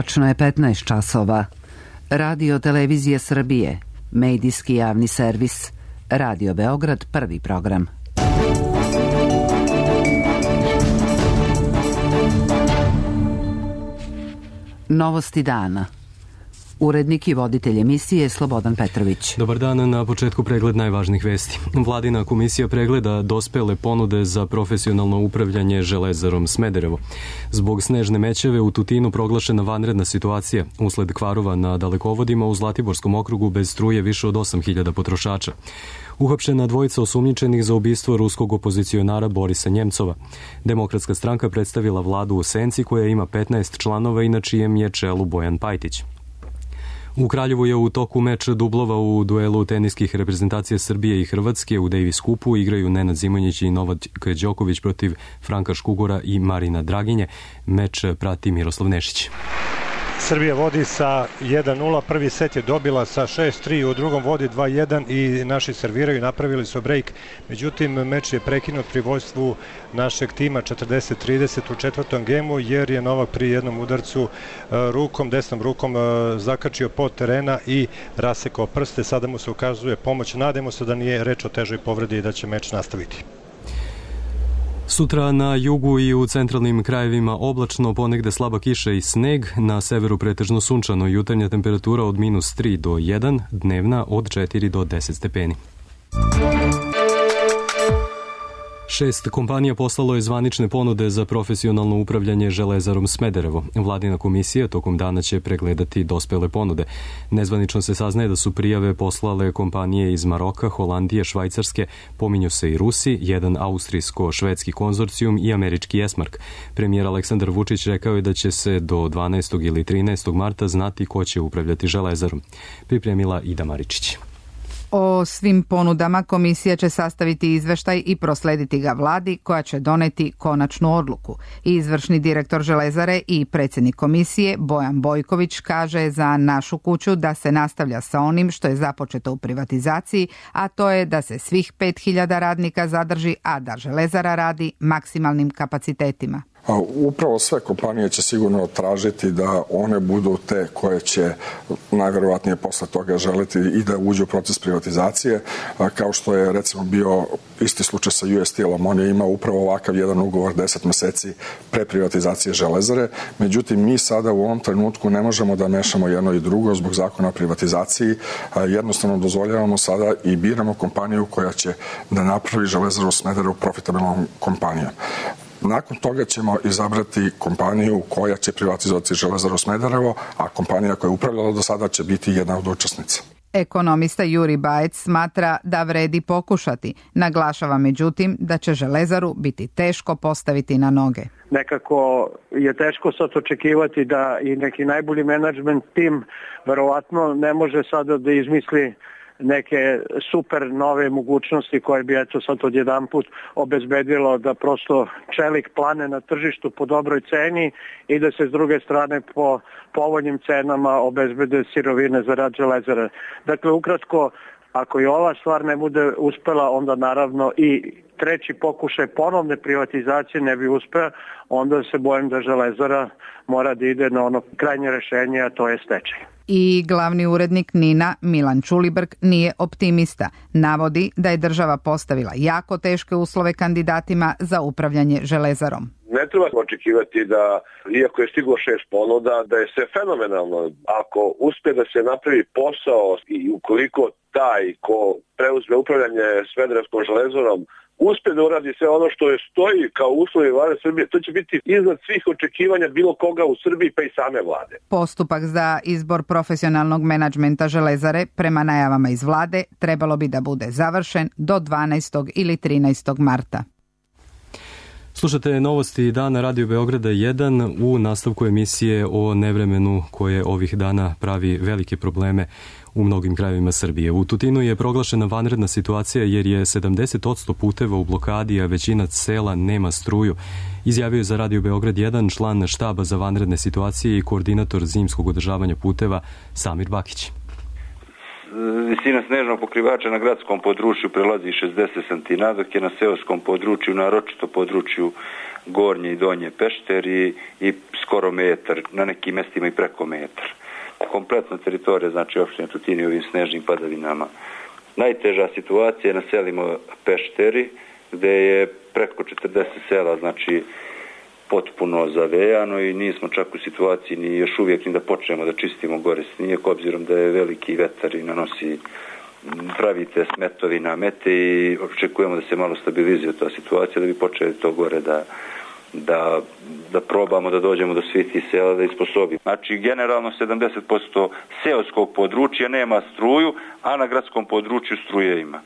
Tačno je 15 časova. Radio Televizije Srbije, medijski javni servis, Radio Beograd, prvi program. Novosti dana. Urednik i voditelj emisije Slobodan Petrović. Dobar dan, na početku pregled najvažnijih vesti. Vladina komisija pregleda dospele ponude za profesionalno upravljanje Železarom Smederevo. Zbog snežne mećave u Tutinu proglašena vanredna situacija. Usled kvarova na dalekovodima u Zlatiborskom okrugu bez struje više od 8.000 potrošača. Uhapšena dvojica osumnjičenih za ubistvo ruskog opozicionara Borisa Njemcova. Demokratska stranka predstavila vladu u senci koja ima 15 članova i na čijem je čelu Bojan Pajtić. U Kraljevu je u toku meč dublova u duelu teniskih reprezentacija Srbije i Hrvatske. U Davis Kupu igraju Nenad Zimonjić i Novak Đoković protiv Franka Škugora i Marina Draginje. Meč prati Miroslav Nešić. Srbija vodi sa 1-0, prvi set je dobila sa 6-3, u drugom vodi 2-1 i naši serviraju, napravili su break. Međutim, meč je prekinut pri vođstvu našeg tima 40-30 u četvrtom gemu, jer je Novak pri jednom udarcu desnom rukom zakačio pod terena i rasekao prste. Sada mu se ukazuje pomoć. Nadamo se da nije reč o težoj povredi i da će meč nastaviti. Sutra na jugu i u centralnim krajevima oblačno, ponegde slaba kiša i sneg, na severu pretežno sunčano, jutarnja temperatura od -3 do 1, dnevna od 4 do 10 stepeni. 6 kompanija poslalo je zvanične ponude za profesionalno upravljanje Železarom Smederevo. Vladina komisija tokom dana će pregledati dospele ponude. Nezvanično se saznaje da su prijave poslale kompanije iz Maroka, Holandije, Švajcarske, pominju se i Rusi, jedan austrijsko-švedski konzorcijum i američki Esmark. Premijer Aleksandar Vučić rekao je da će se do 12. ili 13. marta znati ko će upravljati Železarom. Pripremila Ida Maričić. O svim ponudama komisija će sastaviti izveštaj i proslediti ga vladi koja će doneti konačnu odluku. Izvršni direktor Železare i predsjednik komisije Bojan Bojković kaže za Našu kuću da se nastavlja sa onim što je započeto u privatizaciji, a to je da se svih 5.000 radnika zadrži, a da Železara radi maksimalnim kapacitetima. Upravo sve kompanije će sigurno tražiti da one budu te koje će najverovatnije posle toga želiti i da uđu u proces privatizacije, kao što je recimo bio isti slučaj sa US Steel-om. On je imao upravo ovakav jedan ugovor 10 meseci pre privatizacije Železare. Međutim, mi sada u ovom trenutku ne možemo da mešamo jedno i drugo zbog zakona o privatizaciji. Jednostavno dozvoljavamo sada i biramo kompaniju koja će da napravi Železaru Smederevo profitabilnom kompanijom. Nakon toga ćemo izabrati kompaniju koja će privatizovati Železaru Smederevo, a kompanija koja je upravljala do sada će biti jedna od učesnica. Ekonomista Juri Bajec smatra da vredi pokušati. Naglašava međutim da će Železaru biti teško postaviti na noge. Nekako je teško sad očekivati da i neki najbolji menadžment tim verovatno ne može sada da izmisli neke super nove mogućnosti koje bi eto sad odjedanput obezbedilo da prosto čelik plane na tržištu po dobroj ceni i da se s druge strane po povoljnim cenama obezbede sirovine za rad Železare. Dakle, ukratko, ako i ova stvar ne bude uspela, onda naravno i treći pokušaj ponovne privatizacije ne bi uspeo, onda se bojim da Železara mora da ide na ono krajnje rešenje, a to je stečaj. I glavni urednik NIN-a Milan Čulibrk nije optimista. Navodi da je država postavila jako teške uslove kandidatima za upravljanje Železarom. Ne treba očekivati da, iako je stiglo 6 ponuda, da je sve fenomenalno. Ako uspe da se napravi posao i ukoliko taj ko preuzme upravljanje Smederevskom Železarom uspe da uradi sve ono što je stoji kao uslovi vlade Srbije, to će biti iznad svih očekivanja bilo koga u Srbiji, pa i same vlade. Postupak za izbor profesionalnog menadžmenta Železare prema najavama iz vlade trebalo bi da bude završen do 12. ili 13. marta. Slušate novosti dana Radio Beograda 1 u nastavku emisije o nevremenu koje ovih dana pravi velike probleme u mnogim krajevima Srbije. U Tutinu je proglašena vanredna situacija jer je 70% puteva u blokadi, a većina sela nema struju. Izjavio je za Radio Beograd 1 član štaba za vanredne situacije i koordinator zimskog održavanja puteva Samir Bakić. visina snežnog pokrivača na gradskom području prelazi 60 cm, dok je na seoskom području, naročito području Gornje i Donje Pešteri i skoro metar, na nekim mestima i preko metar. Kompletna teritorija, znači opštine Tutin i ovim snežnim padavinama. Najteža situacija je na selima Pešteri, gde je preko 40 sela, znači potpuno zavejano i nismo čak u situaciji ni još uvijek ni da počnemo da čistimo gore snijeg, obzirom da je veliki vetar i nanosi pravite smetovi namete i očekujemo da se malo stabilizuje ta situacija da bi počeli to gore da probamo da dođemo do svih tih sela da isposobimo. Znači generalno 70% seoskog područja nema struju, a na gradskom području struje ima.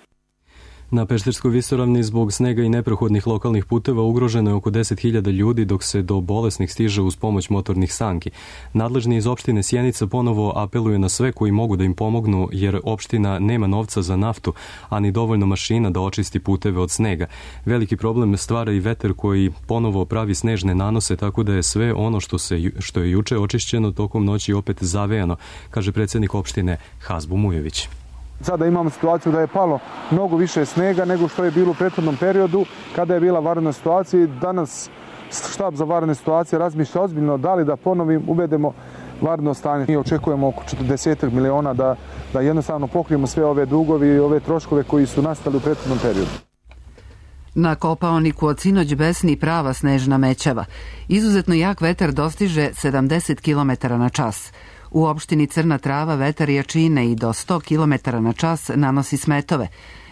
Na Pešterskoj visoravni zbog snega i neprohodnih lokalnih puteva ugroženo je oko 10.000 ljudi dok se do bolesnih stiže uz pomoć motornih sanki. Nadležni iz opštine Sjenica ponovo apeluju na sve koji mogu da im pomognu jer opština nema novca za naftu, a ni dovoljno mašina da očisti puteve od snega. Veliki problem stvara i vetar koji ponovo pravi snežne nanose, tako da je sve ono što je juče očišćeno tokom noći opet zavejano, kaže predsjednik opštine Hazbu Mujević. Sada imamo situaciju da je palo mnogo više snega nego što je bilo u prethodnom periodu kada je bila vanredna situacija. Danas štab za vanredne situacije razmišlja ozbiljno da li da ponovim uvedemo vanredno stanje. Mi očekujemo oko 40 miliona da jednostavno pokrijemo sve ove dugovi i ove troškove koji su nastali u prethodnom periodu. Na Kopaoniku od sinoć besni prava snežna mećava. Izuzetno jak vetar dostiže 70 km na čas. U opštini Crna Trava vetar jačine i do 100 km na čas nanosi smetove.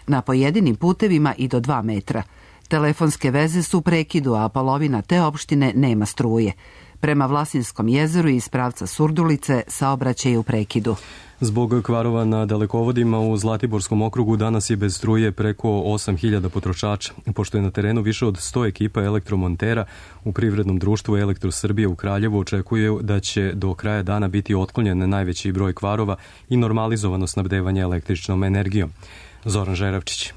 Na pojedinim putevima i do 2 metra. Telefonske veze su u prekidu, a polovina te opštine nema struje. Prema Vlasinskom jezeru iz pravca Surdulice saobraćaj je u prekidu. Zbog kvarova na dalekovodima u Zlatiborskom okrugu danas je bez struje preko 8.000 potrošača. Pošto je na terenu više od 100 ekipa elektromontera, u privrednom društvu Elektrosrbije u Kraljevu očekuje da će do kraja dana biti otklonjen najveći broj kvarova i normalizovano snabdevanje električnom energijom. Zoran Žeravčić.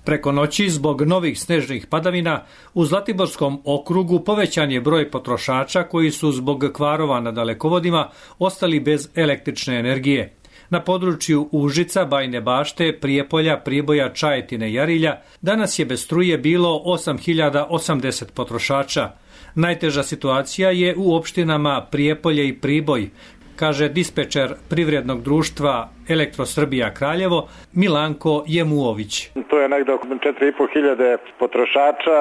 Preko noći, zbog novih snežnih padavina, u Zlatiborskom okrugu povećan je broj potrošača koji su zbog kvarova na dalekovodima ostali bez električne energije. Na području Užica, Bajine Bašte, Prijepolja, Priboja, Čajetine i Jarilja danas je bez struje bilo 8.080 potrošača. Najteža situacija je u opštinama Prijepolje i Priboj, kaže dispečer privrednog društva Elektrosrbija Kraljevo Milanko Jemuović. To je negdje oko 4.500 potrošača,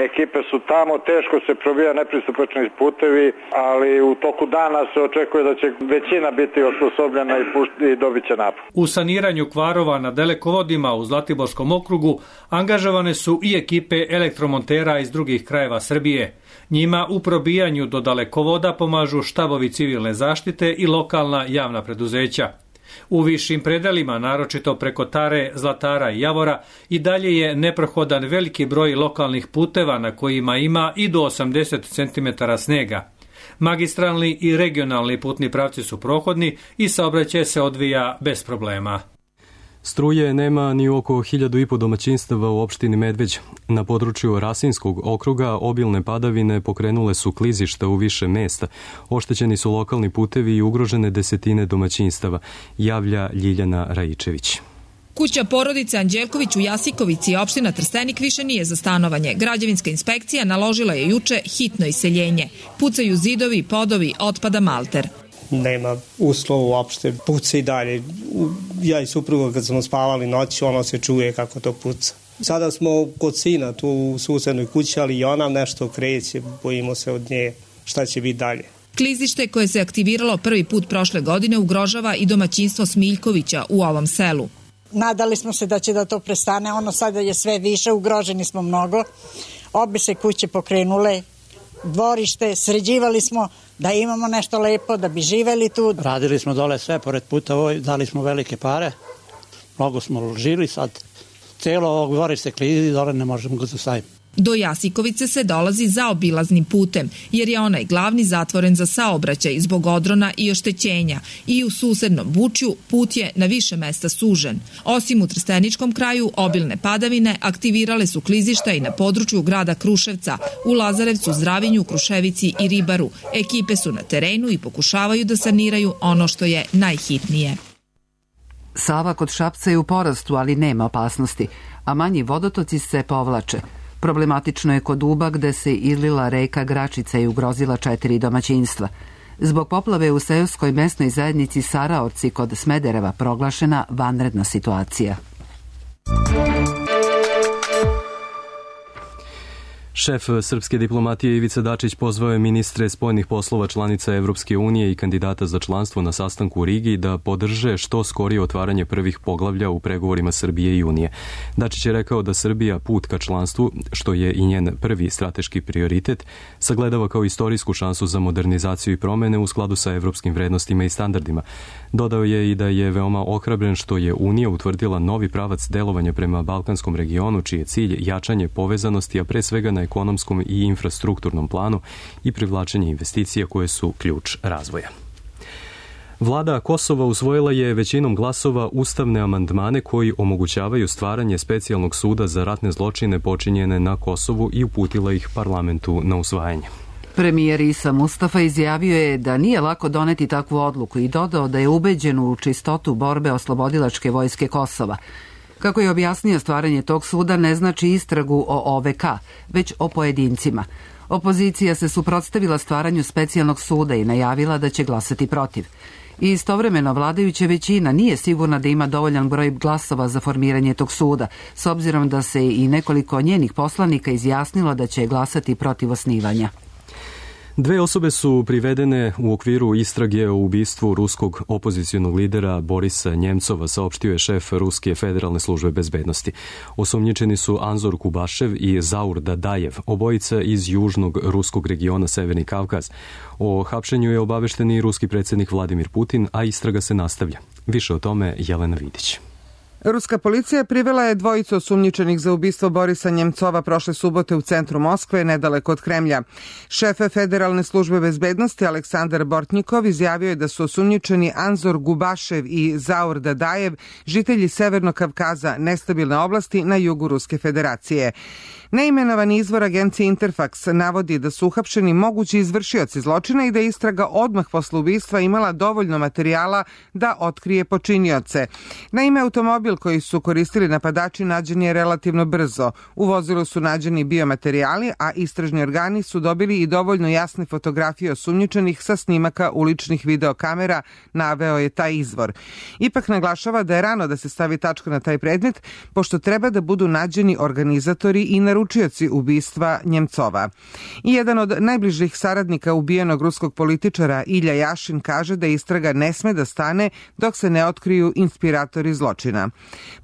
ekipe su tamo, teško se probija nepristupačni putevi, ali u toku dana se očekuje da će većina biti osposobljena i dobit će napad. U saniranju kvarova na dalekovodima u Zlatiborskom okrugu angažovane su i ekipe elektromontera iz drugih krajeva Srbije. Njima u probijanju do dalekovoda pomažu štabovi civilne zaštite i lokalna javna preduzeća. U višim predelima, naročito preko Tare, Zlatara i Javora, i dalje je neprohodan veliki broj lokalnih puteva na kojima ima i do 80 cm snega. Magistralni i regionalni putni pravci su prohodni i saobraćaj se odvija bez problema. Struje nema ni oko 1.500 domaćinstava u opštini Medveć. Na području Rasinskog okruga obilne padavine pokrenule su klizišta u više mesta. Oštećeni su lokalni putevi i ugrožene desetine domaćinstava, javlja Ljiljana Rajičević. Kuća porodice Anđelković u Jasikovici, opština Trstenik, više nije za stanovanje. Građevinska inspekcija naložila je juče hitno iseljenje. Pucaju zidovi, podovi, otpada malter. Nema uslova uopšte, puca i dalje. Ja i supruga kad smo spavali noći, ono se čuje kako to puca. Sada smo kod sina tu u susednoj kući, ali i ona nešto kreće, bojimo se od nje šta će biti dalje. Klizište koje se aktiviralo prvi put prošle godine ugrožava i domaćinstvo Smiljkovića u ovom selu. Nadali smo se da će da to prestane, ono sada je sve više, ugroženi smo mnogo. Obe se kuće pokrenule, dvorište, sređivali smo da imamo nešto lepo, da bi živeli tu. Radili smo dole sve pored puta, dali smo velike pare, mnogo smo uložili, sad cijelo ovog dvorište klizi, dole ne možemo ga zastaviti. Do Jasikovice se dolazi zaobilaznim putem, jer je onaj glavni zatvoren za saobraćaj zbog odrona i oštećenja i u susednom Bučju put je na više mesta sužen. Osim u Trsteničkom kraju, obilne padavine aktivirale su klizišta i na području grada Kruševca, u Lazarevcu, Zdravinju, Kruševici i Ribaru. Ekipe su na terenu i pokušavaju da saniraju ono što je najhitnije. Sava kod Šapca je u porastu, ali nema opasnosti, a manji vodotoci se povlače. Problematično je kod Uba gde se izlila reka Gračica i ugrozila 4 domaćinstva. Zbog poplave u seoskoj mesnoj zajednici Saraorci kod Smedereva proglašena vanredna situacija. Šef srpske diplomatije Ivica Dačić pozvao je ministre spoljnih poslova članica Evropske unije i kandidata za članstvo na sastanku u Rigi da podrže što skorije otvaranje prvih poglavlja u pregovorima Srbije i Unije. Dačić je rekao da Srbija put ka članstvu, što je i njen prvi strateški prioritet, sagledava kao istorijsku šansu za modernizaciju i promene u skladu sa evropskim vrednostima i standardima. Dodao je i da je veoma ohrabren što je Unija utvrdila novi pravac delovanja prema Balkanskom regionu, čiji je cilj jačanje povezanosti, a pre svega na ekonomskom i infrastrukturnom planu i privlačenje investicija koje su ključ razvoja. Vlada Kosova usvojila je većinom glasova ustavne amandmane koji omogućavaju stvaranje specijalnog suda za ratne zločine počinjene na Kosovu i uputila ih parlamentu na usvajanje. Premijer Isa Mustafa izjavio je da nije lako doneti takvu odluku i dodao da je ubeđen u čistotu borbe oslobodilačke vojske Kosova. Kako je objasnio, stvaranje tog suda ne znači istragu o OVK, već o pojedincima. Opozicija se suprotstavila stvaranju specijalnog suda i najavila da će glasati protiv. I istovremeno vladajuća većina nije sigurna da ima dovoljan broj glasova za formiranje tog suda, s obzirom da se i nekoliko njenih poslanika izjasnilo da će glasati protiv osnivanja. 2 osobe su privedene u okviru istrage o ubistvu ruskog opozicionog lidera Borisa Njemcova, saopštio je šef Ruske federalne službe bezbednosti. Osumnjičeni su Anzor Kubašev i Zaur Dadajev, obojica iz južnog ruskog regiona Severni Kavkaz. O hapšenju je obavešten i ruski predsjednik Vladimir Putin, a istraga se nastavlja. Više o tome Jelena Vidić. Ruska policija privela je 2 osumnjičenih za ubistvo Borisa Njemcova prošle subote u centru Moskve, nedaleko od Kremlja. Šef Federalne službe bezbednosti Aleksandar Bortnikov izjavio je da su osumnjičeni Anzor Gubašev i Zaur Dadajev, žitelji Severnog Kavkaza, nestabilne oblasti na jugu Ruske federacije. Neimenovani izvor agencije Interfax navodi da su uhapšeni mogući izvršioci zločina i da je istraga odmah posle ubistva imala dovoljno materijala da otkrije počinioce. Naime, automobil koji su koristili napadači nađen je relativno brzo. U vozilu su nađeni biomaterijali, a istražni organi su dobili i dovoljno jasne fotografije osumnjičenih sa snimaka uličnih videokamera, naveo je taj izvor. Ipak naglašava da je rano da se stavi tačka na taj predmet, pošto treba da budu nađeni organizatori i naručioci ubistva Njemcova. I jedan od najbližih saradnika ubijenog ruskog političara Ilja Jašin kaže da istraga ne sme da stane dok se ne otkriju inspiratori zločina.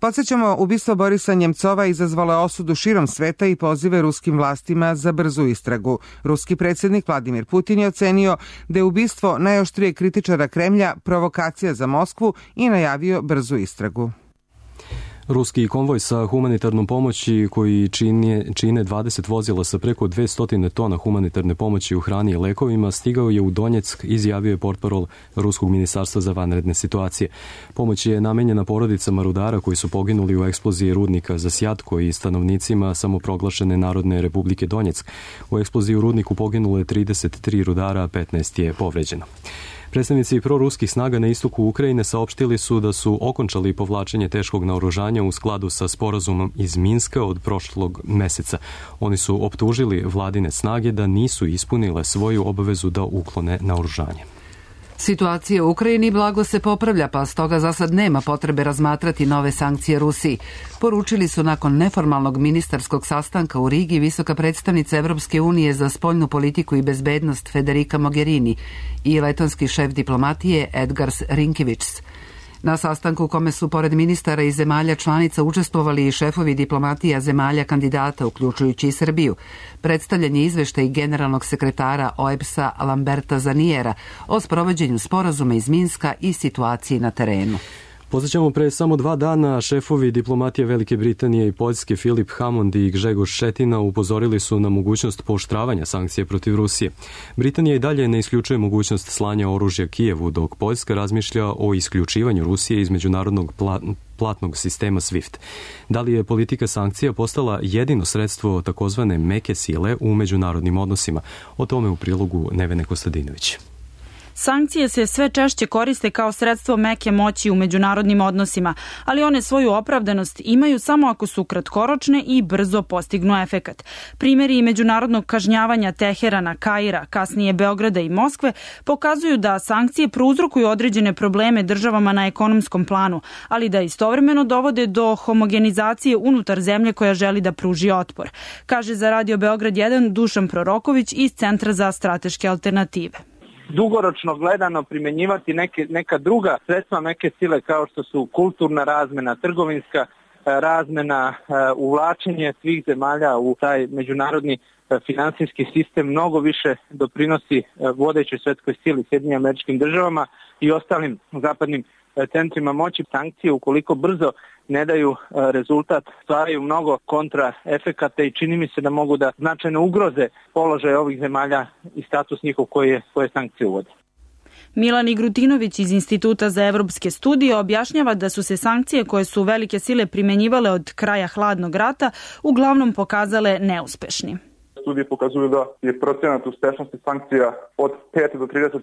Podsjećamo, ubistvo Borisa Njemcova izazvalo je osudu širom sveta i pozive ruskim vlastima za brzu istragu. Ruski predsjednik Vladimir Putin je ocenio da je ubistvo najoštrije kritičara Kremlja provokacija za Moskvu i najavio brzu istragu. Ruski konvoj sa humanitarnom pomoći koji čine 20 vozila sa preko 200 tona humanitarne pomoći u hrani i lekovima stigao je u Donjeck, izjavio je portparol Ruskog ministarstva za vanredne situacije. Pomoć je namenjena porodicama rudara koji su poginuli u eksploziji rudnika za Sjatko i stanovnicima samoproglašene Narodne republike Donjeck. U eksploziji u rudniku poginulo je 33 rudara, a 15 je povređeno. Predstavnici proruskih snaga na istoku Ukrajine saopštili su da su okončali povlačenje teškog naoružanja u skladu sa sporazumom iz Minska od prošlog meseca. Oni su optužili vladine snage da nisu ispunile svoju obavezu da uklone naoružanje. Situacija u Ukrajini blago se popravlja, pa stoga za sad nema potrebe razmatrati nove sankcije Rusiji. Poručili su nakon neformalnog ministarskog sastanka u Rigi visoka predstavnica Evropske unije za spoljnu politiku i bezbednost Federica Mogherini i letonski šef diplomatije Edgars Rinkēvičs. Na sastanku u kome su pored ministara i zemalja članica učestvovali i šefovi diplomatija zemalja kandidata, uključujući i Srbiju, predstavljen je izveštaj generalnog sekretara OEBS-a Lamberta Zaniera o sprovođenju sporazuma iz Minska i situaciji na terenu. Podsjećamo, pre samo 2 dana šefovi diplomatije Velike Britanije i Poljske Filip Hammond i Grzegorz Šetina upozorili su na mogućnost pooštravanja sankcije protiv Rusije. Britanija i dalje ne isključuje mogućnost slanja oružja Kijevu, dok Poljska razmišlja o isključivanju Rusije iz međunarodnog platnog sistema SWIFT. Da li je politika sankcija postala jedino sredstvo takozvane meke sile u međunarodnim odnosima? O tome u prilogu Nevene Kostadinović. Sankcije se sve češće koriste kao sredstvo meke moći u međunarodnim odnosima, ali one svoju opravdanost imaju samo ako su kratkoročne i brzo postignu efekat. Primjeri međunarodnog kažnjavanja Teherana, Kaira, kasnije Beograda i Moskve pokazuju da sankcije prouzrokuju određene probleme državama na ekonomskom planu, ali da istovremeno dovode do homogenizacije unutar zemlje koja želi da pruži otpor, kaže za Radio Beograd 1 Dušan Proroković iz Centra za strateške alternative. Dugoročno gledano primjenjivati neka druga sredstva meke sile kao što su kulturna razmena, trgovinska razmena, uvlačenje svih zemalja u taj međunarodni finansijski sistem mnogo više doprinosi vodećoj svetskoj sili, Sjedinjenim Američkim Državama i ostalim zapadnim centrima moći. Sankcije ukoliko brzo ne daju rezultat, stvaraju mnogo kontraefekata i čini mi se da mogu da značajno ugroze položaj ovih zemalja i status njihov koje sankcije uvode. Milan Igrutinović iz Instituta za evropske studije objašnjava da su se sankcije koje su velike sile primenjivale od kraja hladnog rata uglavnom pokazale neuspešni. Studije pokazuju da je procenat uspešnosti sankcija od 5 do 30%.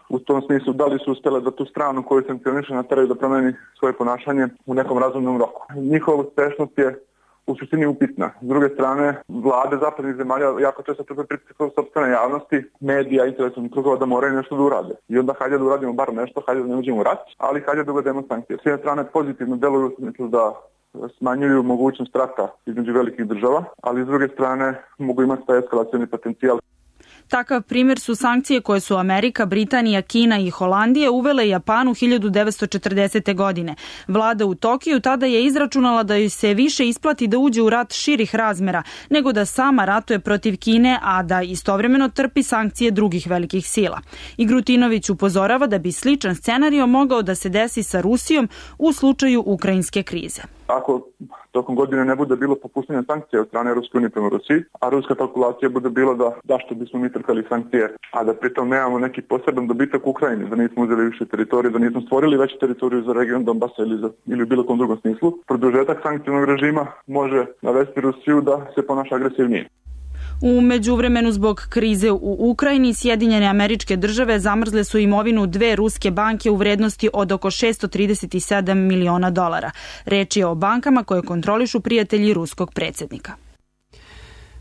U tom smislu da li su uspjele da tu stranu koju sankcioniše nateraju da promeni svoje ponašanje u nekom razumnom roku. Njihova uspešnost je u suštini upitna. S druge strane, vlade zapadnih zemalja jako često trpe pritisak sopstvene javnosti, medija, intelektualnih krugova da moraju nešto da urade. I onda hajde da uradimo bar nešto, hajde da ne uđemo u rat, ali hajde da uvedemo sankcije. S jedne strane pozitivno deluju u smislu da smanjuju mogućnost rata između velikih država, ali s druge strane mogu imati taj eskalacioni potencijal. Takav primjer su sankcije koje su Amerika, Britanija, Kina i Holandija uvele Japanu 1940. godine. Vlada u Tokiju tada je izračunala da joj se više isplati da uđe u rat širih razmera nego da sama ratuje protiv Kine, a da istovremeno trpi sankcije drugih velikih sila. Igrutinović upozorava da bi sličan scenario mogao da se desi sa Rusijom u slučaju ukrajinske krize. Ako tokom godine ne bude bilo popuštanja sankcija od strane Ruske unije prema Rusiji, a ruska kalkulacija bude bila da zašto bismo mi trpeli sankcije, a da pritom nemamo neki poseban dobitak u Ukrajini, da nismo uzeli više teritorije, da nismo stvorili veću teritoriju za region Donbasa ili u bilo kom drugom smislu, produžetak sankcijnog režima može navesti Rusiju da se ponaša agresivnije. U međuvremenu zbog krize u Ukrajini, Sjedinjene Američke Države zamrzle su imovinu dve ruske banke u vrednosti od oko $637 miliona. Reč je o bankama koje kontrolišu prijatelji ruskog predsjednika.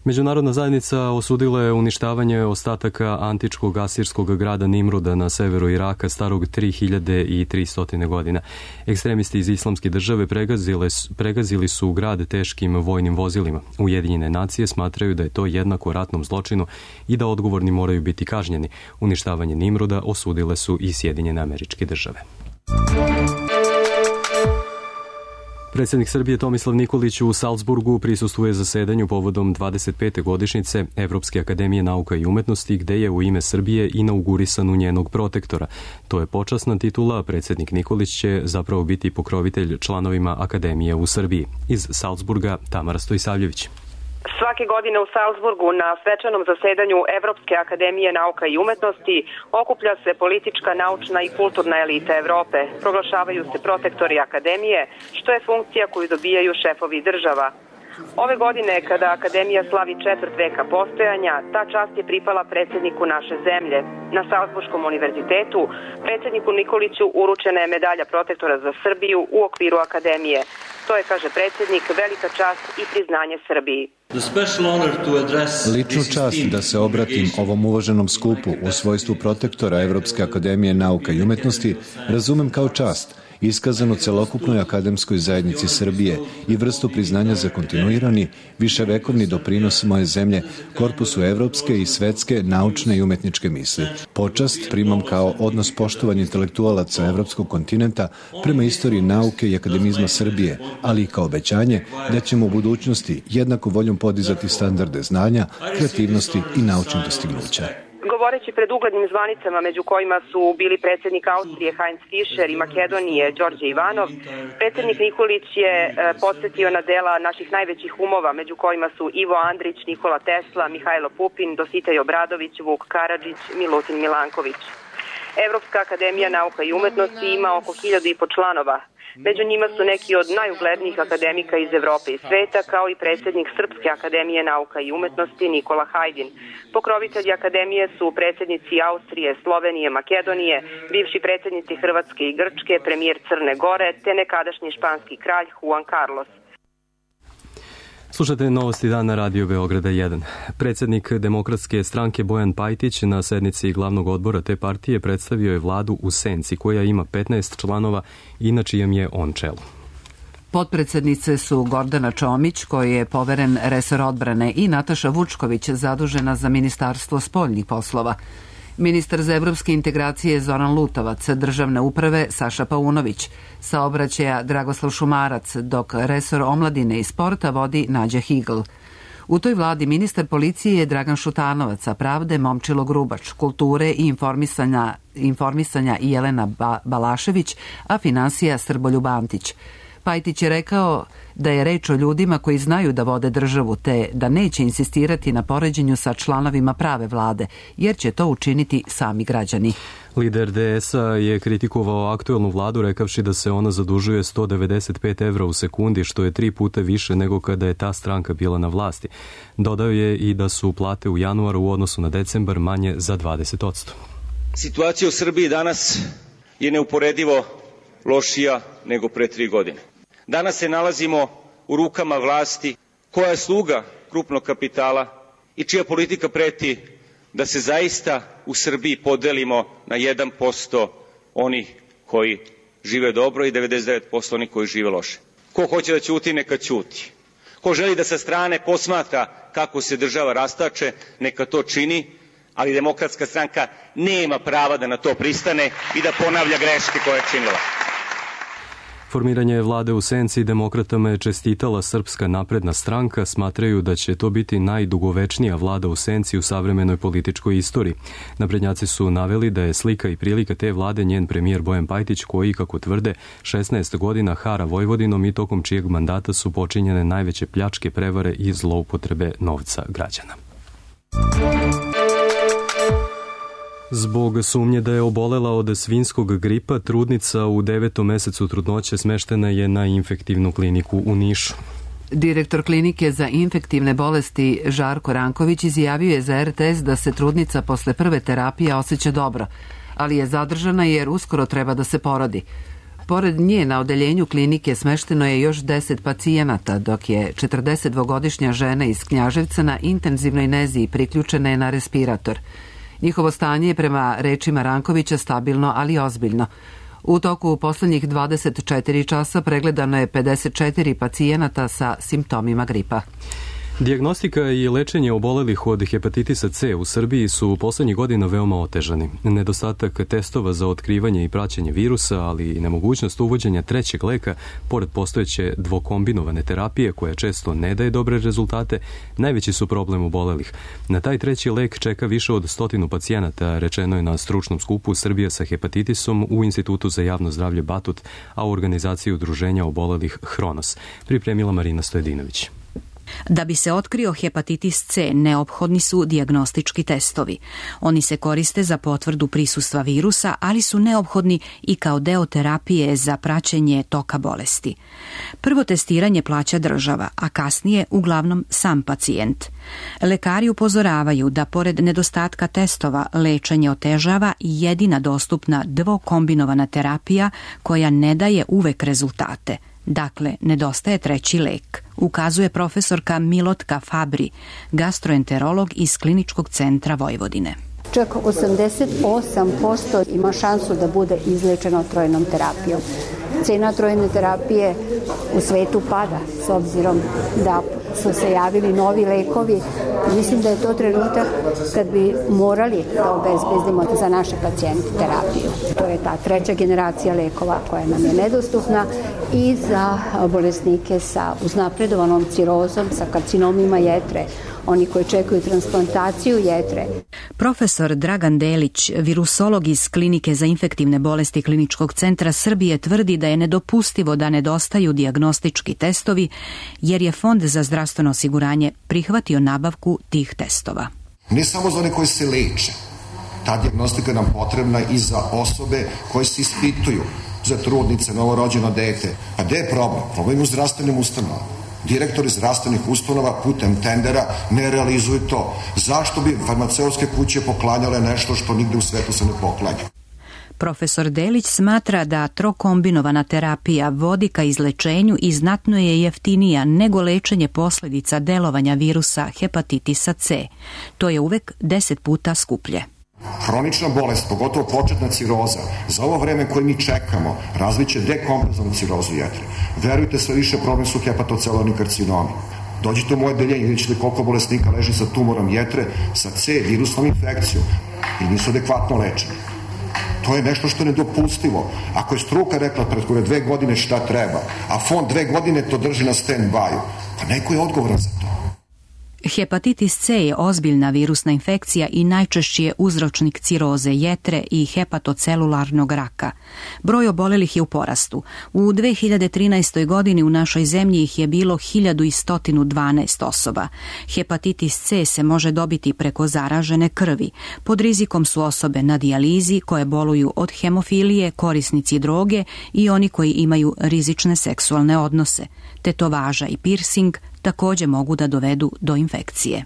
Međunarodna zajednica osudila je uništavanje ostataka antičkog asirskog grada Nimruda na severu Iraka starog 3300 godina. Ekstremisti iz Islamske države pregazili su grad teškim vojnim vozilima. Ujedinjene nacije smatraju da je to jednako ratnom zločinu i da odgovorni moraju biti kažnjeni. Uništavanje Nimruda osudile su i Sjedinjene Američke Države. Predsjednik Srbije Tomislav Nikolić u Salzburgu prisustvuje zasedanju povodom 25. godišnjice Evropske akademije nauka i umetnosti, gde je u ime Srbije inaugurisan u njenog protektora. To je počasna titula, a predsjednik Nikolić će zapravo biti pokrovitelj članovima akademije u Srbiji. Iz Salzburga Tamara Stojsavljević. Svake godine u Salzburgu na svečanom zasedanju Evropske akademije nauka i umetnosti okuplja se politička, naučna i kulturna elita Evrope. Proglašavaju se protektori akademije, što je funkcija koju dobijaju šefovi država. Ove godine, kada akademija slavi 4 veka postojanja, ta čast je pripala predsjedniku naše zemlje. Na Salzburškom univerzitetu predsjedniku Nikoliću uručena je medalja protektora za Srbiju u okviru akademije. To je, kaže predsjednik, velika čast i priznanje Srbiji. Ličnu čast da se obratim ovom uvaženom skupu u svojstvu protektora Evropske akademije nauka i umetnosti razumem kao čast, iskazanu celokupnoj akademskoj zajednici Srbije i vrstu priznanja za kontinuirani, viševekovni doprinos moje zemlje korpusu evropske i svetske naučne i umetničke misli. Počast primam kao odnos poštovanja intelektualaca evropskog kontinenta prema istoriji nauke i akademizma Srbije, ali i kao obećanje da ćemo u budućnosti jednako voljom podizati standarde znanja, kreativnosti i naučnih dostignuća. Govoreći pred uglednim zvanicama, među kojima su bili predsjednik Austrije Heinz Fischer i Makedonije Đorđe Ivanov, predsjednik Nikolić je podsjetio na dela naših najvećih umova, među kojima su Ivo Andrić, Nikola Tesla, Mihajlo Pupin, Dositej Obradović, Vuk Karadžić, Milutin Milanković. Evropska akademija nauka i umetnosti ima oko 1500 članova. Među njima su neki od najuglednijih akademika iz Evrope i sveta, kao i predsjednik Srpske akademije nauka i umetnosti Nikola Hajdin. Pokrovitelji akademije su predsjednici Austrije, Slovenije, Makedonije, bivši predsjednici Hrvatske i Grčke, premijer Crne Gore, te nekadašnji španski kralj Juan Carlos. Slušate Novosti dana Radio Beograda 1. Predsjednik Demokratske stranke Bojan Pajtić na sednici glavnog odbora te partije predstavio je vladu u senci koja ima 15 članova i na čijem je on čelu. Potpredsednice su Gordana Čomić, koji je poveren resor odbrane, i Nataša Vučković, zadužena za Ministarstvo spoljnih poslova. Ministar za evropske integracije Zoran Lutovac, državne uprave Saša Paunović, saobraćaja Dragoslav Šumarac, dok resor omladine i sporta vodi Nađa Higl. U toj vladi ministar policije je Dragan Šutanovac, a pravde Momčilo Grubač, kulture i informisanja Jelena Balašević, a finansija Srboljub Antić. Pajtić je rekao da je reč o ljudima koji znaju da vode državu, te da neće insistirati na poređenju sa članovima prave vlade, jer će to učiniti sami građani. Lider DS-a je kritikovao aktuelnu vladu rekavši da se ona zadužuje 195 evra u sekundi, što je 3 puta više nego kada je ta stranka bila na vlasti. Dodao je i da su plate u januaru u odnosu na decembar manje za 20%. Situacija u Srbiji danas je neuporedivo lošija nego pre 3 godine. Danas se nalazimo u rukama vlasti koja je sluga krupnog kapitala i čija politika preti da se zaista u Srbiji podelimo na 1% onih koji žive dobro i 99% onih koji žive loše. Ko hoće da ćuti, neka ćuti. Ko želi da sa strane posmatra kako se država rastače, neka to čini, ali Demokratska stranka nema prava da na to pristane i da ponavlja greške koje je činila. Formiranje vlade u senci demokratama je čestitala Srpska napredna stranka, smatraju da će to biti najdugovečnija vlada u senci u savremenoj političkoj istoriji. Naprednjaci su naveli da je slika i prilika te vlade njen premijer Bojan Pajtić, koji, kako tvrde, 16 godina hara Vojvodinom i tokom čijeg mandata su počinjene najveće pljačke, prevare i zloupotrebe novca građana. Zbog sumnje da je obolela od svinjskog gripa, trudnica u 9. mesecu trudnoće smeštena je na infektivnu kliniku u Nišu. Direktor klinike za infektivne bolesti Žarko Ranković izjavio je za RTS da se trudnica posle prve terapije osjeća dobro, ali je zadržana jer uskoro treba da se porodi. Pored nje na odeljenju klinike smešteno je još 10 pacijenata, dok je 42-godišnja žena iz Knjaževca na intenzivnoj nezi priključena je na respirator. Njihovo stanje je prema rečima Rankovića stabilno, ali ozbiljno. U toku poslednjih 24 časa pregledano je 54 pacijenata sa simptomima gripa. Dijagnostika i lečenje obolelih od hepatitisa C u Srbiji su u poslednjih godina veoma otežani. Nedostatak testova za otkrivanje i praćenje virusa, ali i nemogućnost uvođenja trećeg leka, pored postojeće dvokombinovane terapije koja često ne daje dobre rezultate, najveći su problem obolelih. Na taj treći lek čeka više od 100 pacijenata, rečeno je na stručnom skupu Srbija sa hepatitisom u Institutu za javno zdravlje Batut, a u organizaciji udruženja obolelih Hronos. Pripremila Marina Stojedinović. Da bi se otkrio hepatitis C, neophodni su dijagnostički testovi. Oni se koriste za potvrdu prisustva virusa, ali su neophodni i kao deo terapije za praćenje toka bolesti. Prvo testiranje plaća država, a kasnije uglavnom sam pacijent. Lekari upozoravaju da pored nedostatka testova lečenje otežava i jedina dostupna dvokombinovana terapija koja ne daje uvek rezultate. Dakle, nedostaje treći lek, ukazuje profesorka Milotka Fabri, gastroenterolog iz Kliničkog centra Vojvodine. Čak 88% ima šansu da bude izlečeno trojnom terapijom. Cena trojne terapije u svetu pada s obzirom da su se javili novi lekovi. Mislim da je to trenutak kad bi morali da obezbedimo za naše pacijente terapiju. To je ta treća generacija lekova koja nam je nedostupna i za bolesnike sa uznapredovanom cirozom, sa karcinomima jetre, oni koji čekaju transplantaciju jetre. Profesor Dragan Delić, virusolog iz Klinike za infektivne bolesti Kliničkog centra Srbije, tvrdi da je nedopustivo da nedostaju dijagnostički testovi, jer je Fond za zdravstveno osiguranje prihvatio nabavku tih testova. Ne samo za one koji se leče, ta dijagnostika je nam potrebna i za osobe koje se ispituju. za trudnice, novorođeno dete. A gde je problem? Problem je u zdravstvenim ustanovama. Direktori zdravstvenih ustanova putem tendera ne realizuju to. Zašto bi farmaceutske kuće poklanjale nešto što nigde u svetu se ne poklanja? Profesor Delić smatra da trokombinovana terapija vodi ka izlečenju i znatno je jeftinija nego lečenje posljedica delovanja virusa hepatitisa C. To je uvek 10 puta skuplje. Hronična bolest, pogotovo početna ciroza, za ovo vreme koje mi čekamo, razviće dekompenzovanu cirozu jetre. Verujte, sve više problem su hepatocelularni karcinomi. Dođite u moje deljenje, vidjet ćete koliko bolesnika leži sa tumorom jetre, sa C virusnom infekcijom i nisu adekvatno lečeni. To je nešto što je nedopustivo. Ako je struka rekla pred 2 godine šta treba, a fond 2 godine to drži na stand-by-u, pa neko je odgovoran za to. Hepatitis C je ozbiljna virusna infekcija i najčešći je uzročnik ciroze jetre i hepatocelularnog raka. Broj obolelih je u porastu. U 2013. godini u našoj zemlji ih je bilo 1112 osoba. Hepatitis C se može dobiti preko zaražene krvi. Pod rizikom su osobe na dijalizi koje boluju od hemofilije, korisnici droge i oni koji imaju rizične seksualne odnose. Tetovaža i piercing također mogu da dovedu do infekcije.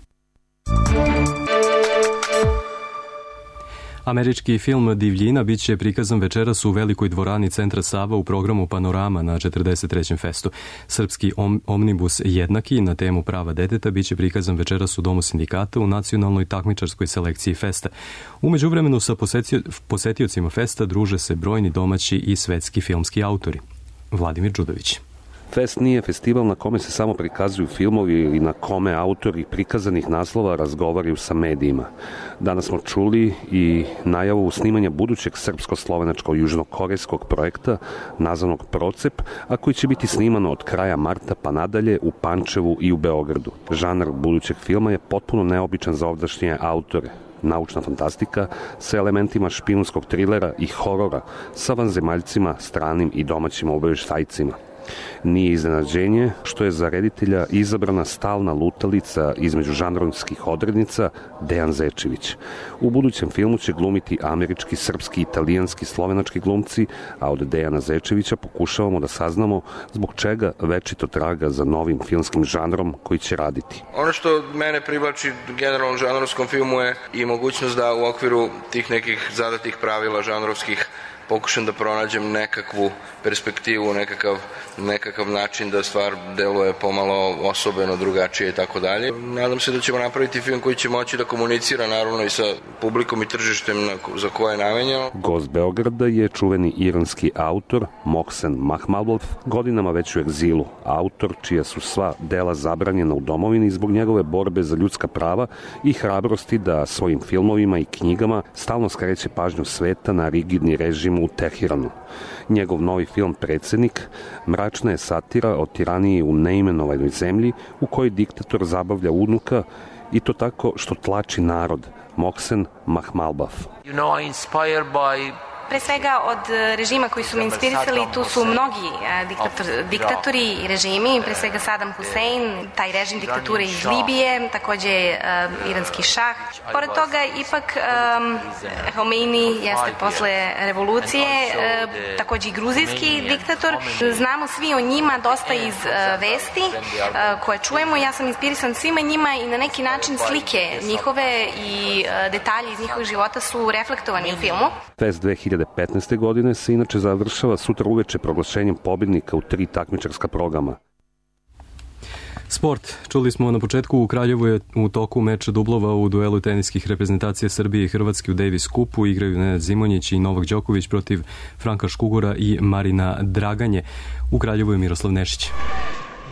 Američki film Divljina bit će prikazan večeras u velikoj dvorani Centra Sava u programu Panorama na 43. festu. Srpski omnibus Jednaki na temu prava deteta bit će prikazan večeras u Domu sindikata u nacionalnoj takmičarskoj selekciji festa. U međuvremenu sa posetiocima festa druže se brojni domaći i svetski filmski autori. Vladimir Đudović. Fest nije festival na kome se samo prikazuju filmovi ili na kome autori prikazanih naslova razgovaraju sa medijima. Danas smo čuli i najavu snimanja budućeg srpsko-slovenačko-južnokorejskog projekta nazvanog Procep, a koji će biti snimano od kraja marta pa nadalje u Pančevu i u Beogradu. Žanr budućeg filma je potpuno neobičan za ovdašnje autore. Naučna fantastika sa elementima špijunskog trilera i horora sa vanzemaljcima, stranim i domaćim obavještajcima. Nije iznenađenje što je za reditelja izabrana stalna lutalica između žanrovskih odrednica Dejan Zečević. U budućem filmu će glumiti američki, srpski, italijanski, slovenački glumci, a od Dejana Zečevića pokušavamo da saznamo zbog čega večito traga za novim filmskim žanrom koji će raditi. Ono što mene privlači generalno žanrovskom filmu je i mogućnost da u okviru tih nekih zadatih pravila žanrovskih pokušam da pronađem nekakvu perspektivu, nekakav način da stvar deluje pomalo osobeno, drugačije i tako dalje. Nadam se da ćemo napraviti film koji će moći da komunicira naravno i sa publikom i tržištem za koje je namenjeno. Gost Beograda je čuveni iranski autor Mohsen Mahmalbaf, godinama već u egzilu. Autor čija su sva dela zabranjena u domovini zbog njegove borbe za ljudska prava i hrabrosti da svojim filmovima i knjigama stalno skreće pažnju sveta na rigidni režim u Tehiranu. Njegov novi film Predsjednik mračna je satira o tiraniji u neimenovanoj zemlji u kojoj diktator zabavlja unuka i to tako što tlači narod. Mohsen Mahmalbaf. Pre svega od režima koji su me inspirisali, tu su mnogi diktatori i režimi, pre svega Saddam Hussein, taj režim diktature iz Libije, takođe iranski šah. Pored toga, ipak Khomeini jeste posle revolucije, takođe i gruzijski diktator. Znamo svi o njima dosta iz vesti koje čujemo. Ja sam inspirisan svima njima i na neki način slike njihove i detalji iz njihovih života su reflektovani u filmu. Fest 2015. godine se inače završava sutra uveče proglašenjem pobednika u 3 takmičarska programa. Sport. Čuli smo na početku, u Kraljevu je u toku meč dublova u duelu teniskih reprezentacija Srbije i Hrvatske u Davis Cupu. Igraju Nenad Zimonjić i Novak Đoković protiv Franka Škugora i Marina Draganje. U Kraljevu je Miroslav Nešić.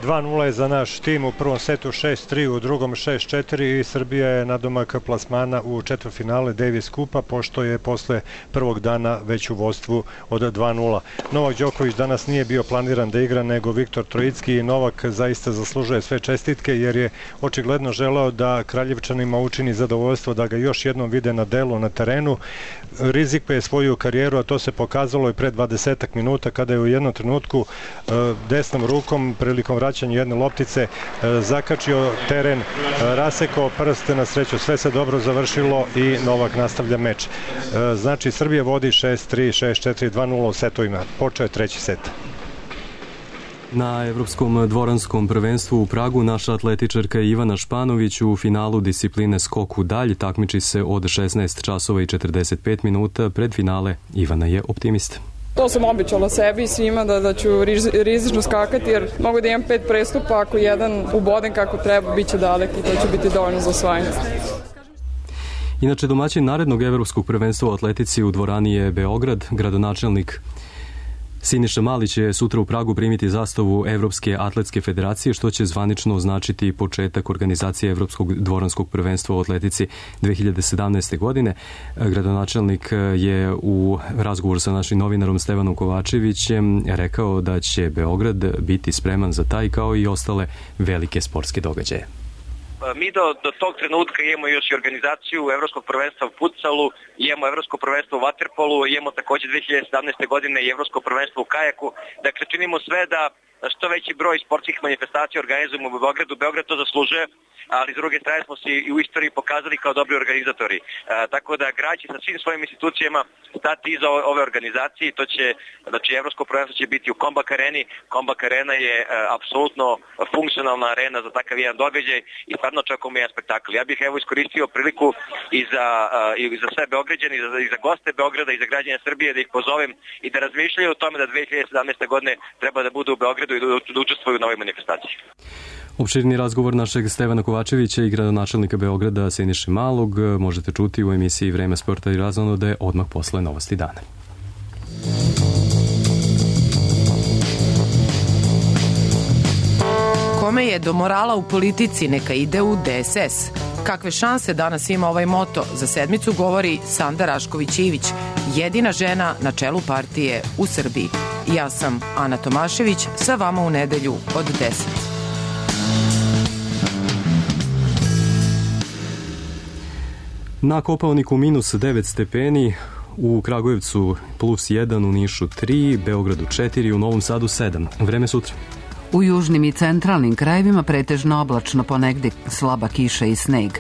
2-0 je za naš tim u prvom setu, 6-3 u drugom, 6-4 i Srbija je nadomak plasmana u četvrtfinale Davis Cupa, pošto je posle prvog dana već u vodstvu od 2-0. Novak Đoković danas nije bio planiran da igra, nego Viktor Trojicki i Novak zaista zaslužuje sve čestitke jer je očigledno želeo da Kraljevčanima učini zadovoljstvo da ga još jednom vide na delu na terenu. Rizikuje svoju karijeru, a to se pokazalo i pre 20 minuta kada je u jednom trenutku desnom rukom prilikom vraćanju jedne loptice zakačio teren, rasekao prst, na sreću sve se dobro završilo i Novak nastavlja meč. Znači Srbija vodi 6-3, 6-4, 2-0 u setovima. Počeo je treći set. Na Evropskom dvoranskom prvenstvu u Pragu naša atletičarka Ivana Španović u finalu discipline skok u dalj takmiči se od 16 časova i 45 minuta. Pred finale Ivana je optimista. To sam obećala sebi i svima da ću rizično skakati jer mogu da imam 5 prestupa, ako jedan ubodem kako treba, bit će dalek i to će biti dovoljno za osvajanje. Inače, domaćin narednog evropskog prvenstva u atletici u dvorani je Beograd. Gradonačelnik Siniša Mali će sutra u Pragu primiti zastavu Evropske atletske federacije, što će zvanično označiti početak organizacije Evropskog dvoranskog prvenstva u atletici 2017. godine. Gradonačelnik je u razgovoru sa našim novinarom Stevanom Kovačevićem rekao da će Beograd biti spreman za taj kao i ostale velike sportske događaje. Mi do tog trenutka imamo još i organizaciju Evropskog prvenstva u futsalu, imamo Evropsko prvenstvo u vaterpolu, imamo takođe 2017. godine i Evropsko prvenstvo u kajaku. Dakle, činimo sve da što veći broj sportskih manifestacija organizujemo u Beogradu. Beograd to zaslužuje, ali s druge strane smo se i u istoriji pokazali kao dobri organizatori. Tako da grad će sa svim svojim institucijama stati iza ove organizacije. To će, znači, Evropsko prvenstvo će biti u Kombak areni. Kombak arena je apsolutno funkcionalna arena za takav jedan događaj i stvarno očekujemo jedan spektakl. Ja bih evo iskoristio priliku i za sve Beograđane, i za goste Beograda i za građane Srbije da ih pozovem i da razmišljaju o tome da 2017. godine treba da budu u Beogradu i da učestvuju na ovoj manifestaciji. Opširni razgovor našeg Stevana Kovačevića i gradonačelnika Beograda Siniše Malog možete čuti u emisiji Vreme sporta i razonode odmah posle Novosti dana. Kome je do morala u politici, neka ide u DSS. Kakve šanse danas ima ovaj moto, za sedmicu govori Sanda Rašković-Ivić, jedina žena na čelu partije u Srbiji. Ja sam Ana Tomašević, sa vama u nedelju od 10. Na Kopaoniku minus 9 stepeni, u Kragujevcu plus 1, u Nišu 3, Beogradu 4, u Novom Sadu 7. Vreme sutra. U južnim i centralnim krajevima pretežno oblačno, ponegde slaba kiša i sneg.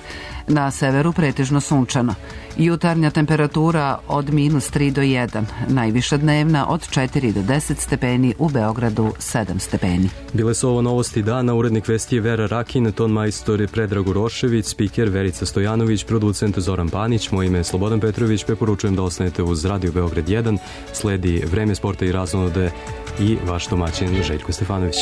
Na severu pretežno sunčano. Jutarnja temperatura od minus 3 do 1. Najviša dnevna od 4 do 10 stepeni, u Beogradu 7 stepeni. Bile su ovo Novosti dana, urednik vesti je Vera Rakin, ton majstor je Predrag Urošević, spiker Verica Stojanović, producent Zoran Panić, moje ime je Slobodan Petrović, preporučujem da ostanete uz Radio Beograd 1, sledi Vreme sporta i razonode i vaš domaćin Željko Stefanović.